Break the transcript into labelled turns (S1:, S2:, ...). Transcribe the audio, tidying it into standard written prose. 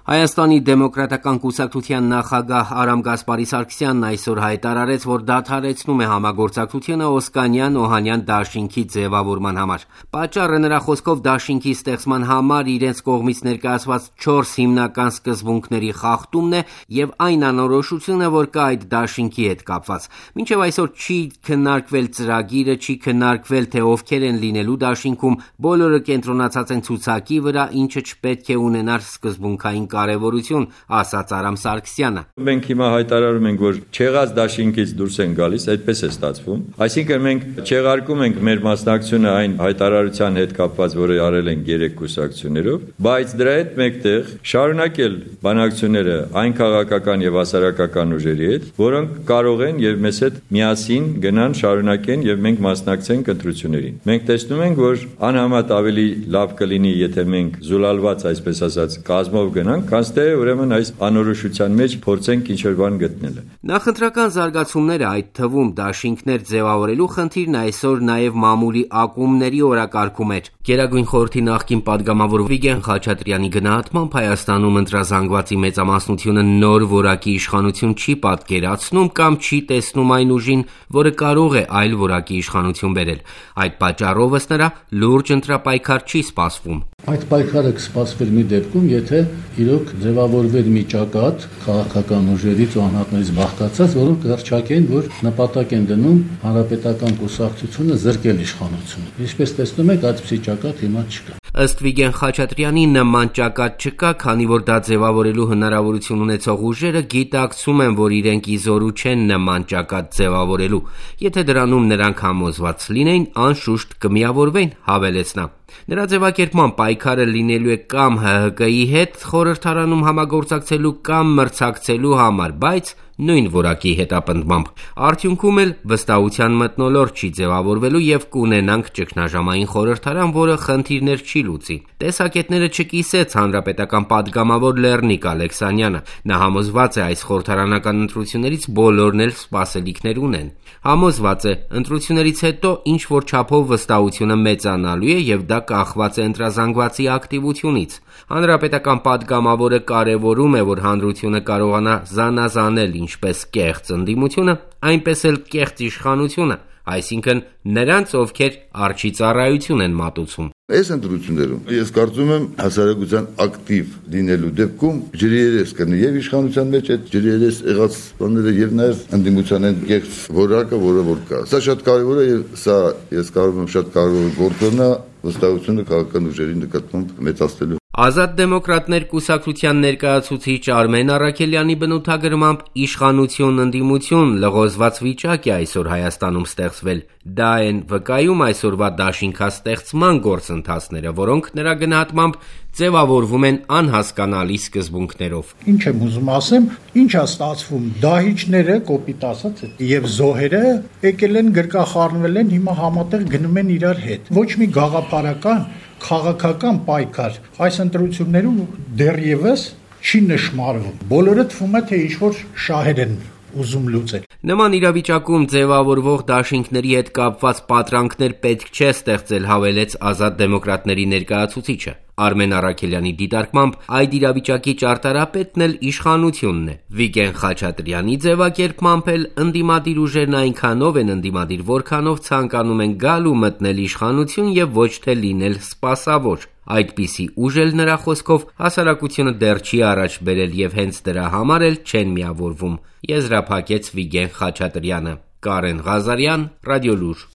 S1: Հայաստանի դեմոկրատական կուսակցության նախագահ Արամ Գասպարի Սարգսյանն այսօր հայտարարեց, որ դադարեցնում է համագործակցությունը Օսկանյան-Օհանյան դաշինքի ձևավորման համար։ Պատճառը նրա խոսքով դաշինքի ստեղծման համար իրենց կողմից ներկայացված 4 հիմնական սկզբունքների խախտումն է եւ այն անորոշությունը, որ կա այդ դաշինքի հետ կապված։ Մինչեւ այսօր չի քննարկվել ծրագիրը, չի քննարկվել, թե ովքեր են լինելու դաշինքում, բոլորը կենտրոնացած են ցուցակի վրա, ինչը չպետք է ունենար սկզբունքային կարևորություն, ասաց Արամ Սարգսյանը։
S2: Մենք հիմա հայտարարում ենք, որ չեղած դաշինքից դուրս են գալիս, այդպես է ստացվում։ Այսինքն մենք չեղարկում ենք մեր մասնակցությունը այն հայտարարության հետ կապված, որը արել են 3 կուսակցություններով, բայց դրա հետ մեկտեղ շարունակել բանակցությունները այն քաղաքական եւ հասարակական ուժերի հետ, որոնք կարող են եւ մեզ հետ միասին գնան, շարունակեն եւ մենք մասնակցենք ընտրություններին։ Մենք տեսնում ենք, որ անհամեմատ ավելի լավ կլինի, եթե մենք զուլալված, այսպես ասած, կազմով գնանք, քան թե ուրեմն այս անորոշության մեջ փորձենք ինչ-որ բան գտնել։
S1: Նախընտրական զարգացումները, այդ թվում դաշինքներ ձևավորելու խնդիրն այսօր նաև մամուլի ակումբների օրակարգում էր։ Գերագույն խորհրդի նախկին падգամավոր Վիգեն Խաչատրյանի գնահատմամբ Հայաստանում ընտրազանգվածի մեծամասնությունը նոր որակի իշխանություն չի պատկերացնում կամ չի տեսնում այն ուժին, որը կարող է այլ որակի իշխանություն բերել։ Այդ պատճառով ըստ նրա լուրջ ընտրապայքար չի սպասվում։
S3: Այդ պայքարը կսպասվեր մի դեպքում, եթե իրոք ձևավորվեր մի ճակատ քաղաքական ուժերից ու անհատներից բաղկացած, որոնք կհռչակեն, որ նպատակ են դնում հանրապետական կուսակցությունը զրկել իշխանությունը։ Ինչպես տեսնում եք, այդպիսի ճակատ հիմա չկա։
S1: Ըստ Վիգեն Խաչատրյանի նման ճակատ չկա, քանի որ դա ձևավորելու հնարավորություն ունեցող ուժերը գիտակցում են, որ իրենք իզորու չեն նման ճակատ ձևավորելու։ Եթե դրանում նրանք համոզված լինեին, անշուշտ կմիավորվեին, հավելեց նա։ Նրա ձևակերպման պայքարը լինելու է կամ ՀՀԿ-ի հետ խորհրդարանում համագործակցելու կամ մրցակցելու համար, բայց նույն որակի հետապնդմամբ։ Արդյունքում էլ վստահության մթնոլորտ չի ձևավորվելու եւ կունենանք ճգնաժամային խորհրդարան, որը խնդիրներ չի լուծի։ Տեսակետները չկիսեց հանրապետական падգամավոր Լեռնիկ Ալեքսանյանը։ Նա համոզված է, այս խորհրդարանական ընտրություններից բոլորն էլ սպասելիքներ ունեն։ Համոզված է, ընտրություններից հետո ինչ որ չափով վստահությունը մեծանալու է եւ դա կախված է ընտրազանգվածի ակտիվությունից։ Հանրապետական падգամավորը կարևորում է, որ հանրությունը կարողանա զանազանել ինչպես կեղծ ընդդիմությունը, այնպես էլ կեղծ իշխանությունը, այսինքն նրանց, ովքեր արջի ծառայություն են մատուցում։
S4: Այս ընտրություններում ես կարծում եմ հասարակության ակտիվ լինելու դեպքում ջրերես կնի եւ իշխանության մեջ այդ ջրերես եղած բաները եւ նաեւ ընդդիմության այն կեղծ որակը, որը որ կա։ Սա շատ կարեւոր է եւ սա ես կարծում եմ շատ կարեւոր գործոն է վստահությունը քաղաքական ուժերի նկատմամբ մեծացնելու։
S1: Ազատ դեմոկրատներ կուսակցության ներկայացուցիչ Արմեն Առաքելյանի բնութագրմամբ իշխանություն ընդդիմություն լղոզված վիճակ է այսօր Հայաստանում ստեղծվել։ Դա են վկայում այսօրվա դաշինքաստեղծման գործընթացները, որոնք նրա գնահատմամբ ձևավորվում են անհասկանալի սկզբունքներով։
S5: Ինչ եմ ուզում ասեմ, ինչ է ստացվում, դահիճները, կոպիտ ասած, եւ զոհերը եկել են գրկախառնվել են, հիմա համատեղ գնում են իրար հետ։ Ոչ մի գաղափարական քաղաքական պայքար այս ընտրություններում դեռևս չի նշмарվում։ Բոլորը թվում է, թե ինչ-որ շահեր են ուզում լուծել։
S1: Նման իրավիճակում ձևավորվող դաշինքների հետ կապված պատրանքներ պետք չէ ստեղծել, հավելեց Ազատ դեմոկրատների ներկայացուցիչը։ Արմեն Առաքելյանի դիտարկմամբ այդ իրավիճակի ճարտարապետն էլ իշխանությունն է։ Վիգեն Խաչատրյանի ձևակերպմամբ էլ ընդդիմադիր ուժերն այնքանով են ընդդիմադիր, որքանով ցանկանում են գալ ու մտնել իշխանություն եւ ոչ թե լինել սպասավոր։ Այդպիսի ուժ էլ նրա խոսքով հասարակությունը դեռ չի առաջ բերել եւ հենց դրա համար էլ չեն միավորվում, եզրափակեց Վիգեն Խաչատրյանը։ Կարեն Ղազարյան, Ռադիոլուր։